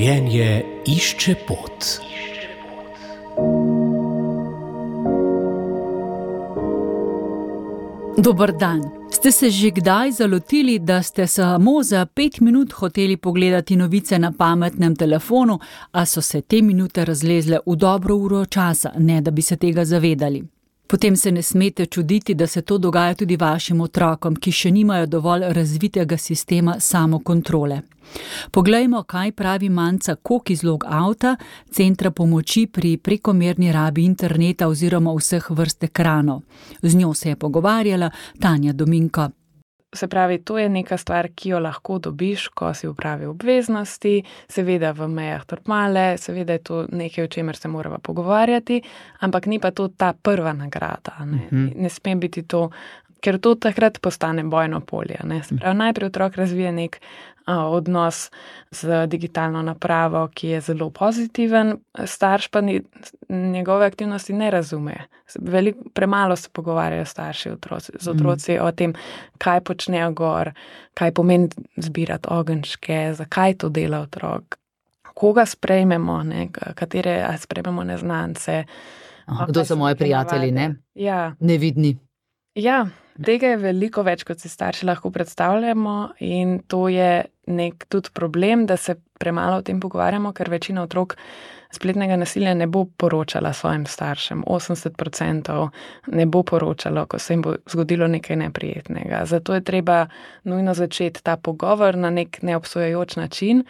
Življenje išče pot. Dober dan. Ste se že kdaj zalotili, da ste samo za 5 minut hoteli pogledati novice na pametnem telefonu, a so se te minute razlezle v dobro uro časa, ne da bi se tega zavedali? Potem se ne smete čuditi, da se to dogaja tudi vašim otrokom, ki še nimajo dovolj razvitega sistema samokontrole. Poglejmo, kaj pravi Manca Kok iz Logouta, centra pomoči pri prekomerni rabi interneta oziroma vseh vrst ekranov. Z njo se je pogovarjala Tanja Dominko. Se pravi, to je neka stvar, ki jo lahko dobiš, ko si opravi obveznosti, seveda v mejah normale, seveda je to nekaj, o čemer se morava pogovarjati, ampak ni pa to ta prva nagrada. Ne sme biti to, ker to takrat postane bojno polje. Se pravi, najprej otrok razvije nek odnos z digitalno napravo, ki je zelo pozitiven, starš pa njegove aktivnosti ne razume. Premalo se pogovarjajo starši z otroci o tem, kaj počnejo gor, kaj pomeni zbirati ogenjčke, zakaj to dela otrok, koga sprejmemo, katere sprejmemo neznance. Kdo so moji prijatelji, ne? Ja. Nevidni. Ja, tega je veliko več, kot si starši lahko predstavljamo, in to je nek tudi problem, da se premalo o tem pogovarjamo, ker večina otrok spletnega nasilja ne bo poročala svojim staršem. 80% ne bo poročalo, ko se jim bo zgodilo nekaj neprijetnega. Zato je treba nujno začeti ta pogovor na nek neobsojajoč način,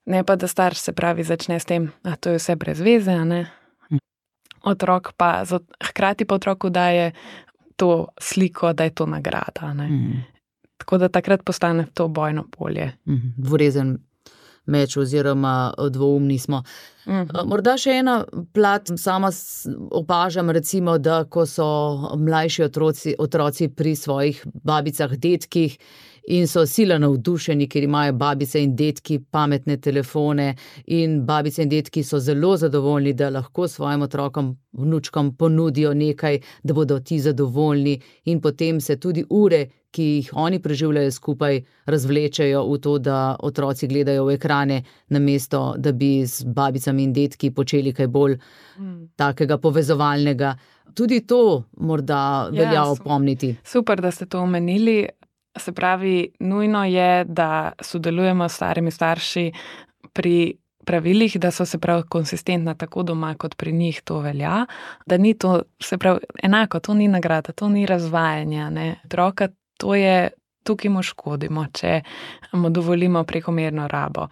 ne pa da starš, se pravi, začne s tem, a to je vse brez veze, a ne? Otrok pa, hkrati pa otroku daje to sliko, da je to nagrada. Tako da takrat postane to bojno polje. Dvorezen meč oziroma dvoumni smo. Morda še ena plat, sama opažam recimo, da ko so mlajši otroci pri svojih babicah, dedkih in so sila navdušeni, ker imajo babice in dedki pametne telefone, in babice in dedki so zelo zadovoljni, da lahko svojim otrokom, vnučkom ponudijo nekaj, da bodo ti zadovoljni, in potem se tudi ure, ki jih oni preživljajo skupaj, razvlečejo v to, da otroci gledajo v ekrane, namesto da bi z babicami in dedki počeli kaj bolj takega povezovalnega. Tudi to morda velja opomniti. Super, da ste to omenili. Se pravi, nujno je, da sodelujemo s starimi starši pri pravilih, da so, se pravi, konsistentna tako doma, kot pri njih to velja, da ni to, se pravi, enako, to ni nagrada, to ni razvajanje, ne. Otroka, to je, tukaj mu škodimo, če mu dovolimo prekomerno rabo.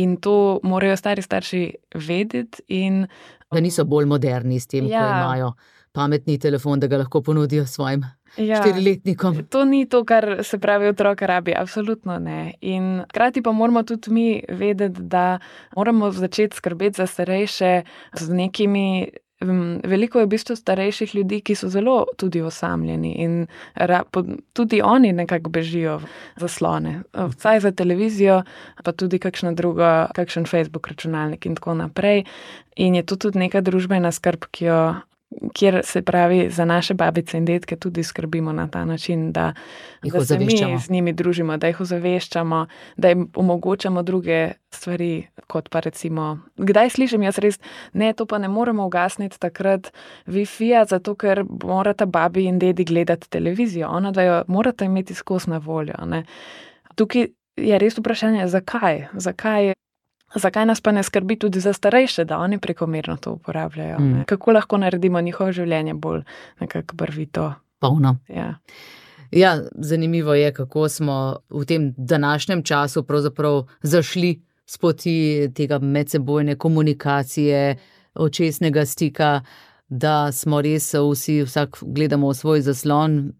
In to morajo stari starši vedeti in da niso bolj moderni s tem, ko imajo pametni telefon, da ga lahko ponudijo svojim 4-letnikom. To ni to, kar, se pravi, otrok rabi, absolutno ne. In hkrati pa moramo tudi mi vedeti, da moramo začeti skrbeti za starejše z nekimi. Veliko je v bistvu starejših ljudi, ki so zelo tudi osamljeni in tudi oni nekako bežijo v zaslone. Vsaj za televizijo, pa tudi kakšen Facebook računalnik in tako naprej. In je to tudi neka družbena skrb, kjer, se pravi, za naše babice in dedke tudi skrbimo na ta način, da se mi z njimi družimo, da jih ozaveščamo, da jim omogočamo druge stvari, kot pa recimo, kdaj slišim jaz res, ne, to pa ne moremo ugasniti takrat Wi-Fi-ja, zato ker morata babi in dedi gledati televizijo, ona da jo morata imeti skozi na voljo, ne. Tukaj je res vprašanje, zakaj nas pa ne skrbi tudi za starejše, da oni prekomerno to uporabljajo? Kako lahko naredimo njihovo življenje bolj nekako barvito? Polno. Ja, zanimivo je, kako smo v tem današnjem času pravzaprav zašli s poti tega medsebojne komunikacije, očesnega stika, da smo res vsak gledamo v svoj zaslon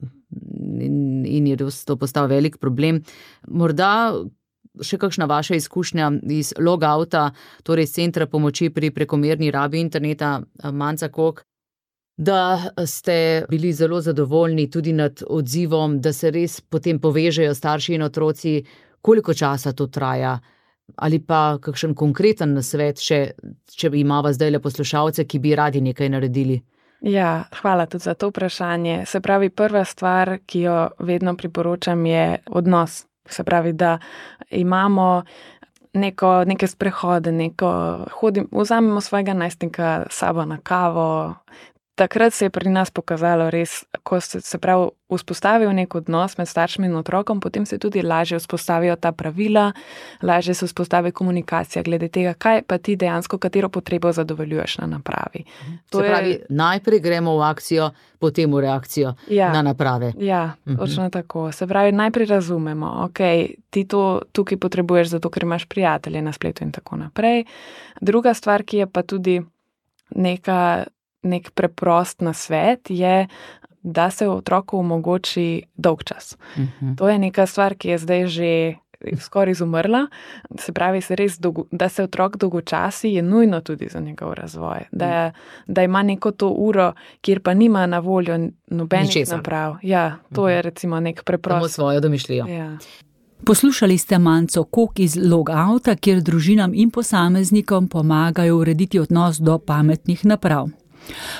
in je to postal velik problem. Morda še kakšna vaša izkušnja iz Logouta, torej centra pomoči pri prekomerni rabi interneta, Manca Kok, da ste bili zelo zadovoljni tudi nad odzivom, da se res potem povežejo starši in otroci, koliko časa to traja, ali pa kakšen konkreten nasvet še, če imava zdajle poslušalce, ki bi radi nekaj naredili. Ja, hvala tudi za to vprašanje. Se pravi, prva stvar, ki jo vedno priporočam, je odnos. Se pravi, da imamo neke sprehode, vzamemo svojega najstnika s sabo na kavo. Takrat se je pri nas pokazalo res, ko se pravi vzpostavil nek odnos med staršem in otrokom, potem se tudi lažje vzpostavijo ta pravila, lažje se vzpostavi komunikacija glede tega, kaj pa ti dejansko, katero potrebo zadovoljuješ na napravi. Najprej gremo v akcijo, potem v reakcijo na naprave. Ja, točno tako. Se pravi, najprej razumemo, ok, ti to tukaj potrebuješ, zato ker imaš prijatelje na spletu in tako naprej. Druga stvar, ki je pa tudi nek preprost nasvet, je, da se otroku omogoči dolgčas. To je neka stvar, ki je zdaj že skoraj izumrla. Se pravi, da se otrok dolgočasi, je nujno tudi za njegov razvoj. Da ima neko to uro, kjer pa nima na voljo nobenih naprav. Ja, to je recimo nek preprost. Samo svojo domišljijo. Ja. Poslušali ste Manco Kok iz Logouta, kjer družinam in posameznikom pomagajo urediti odnos do pametnih naprav.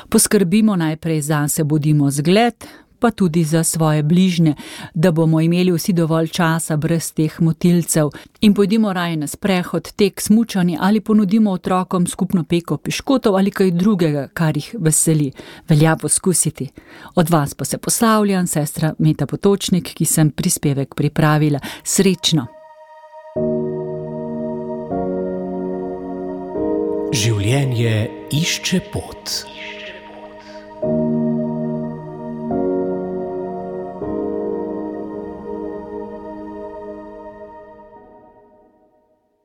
Poskrbimo najprej zase, bodimo zgled, pa tudi za svoje bližnje, da bomo imeli vsi dovolj časa brez teh motilcev in pojdimo raje na sprehod, tek, smučanje ali ponudimo otrokom skupno peko piškotov ali kaj drugega, kar jih veseli. Velja poskusiti. Od vas pa se poslavljam, sestra Meta Potočnik, ki sem prispevek pripravila. Srečno! Življenje išče pot.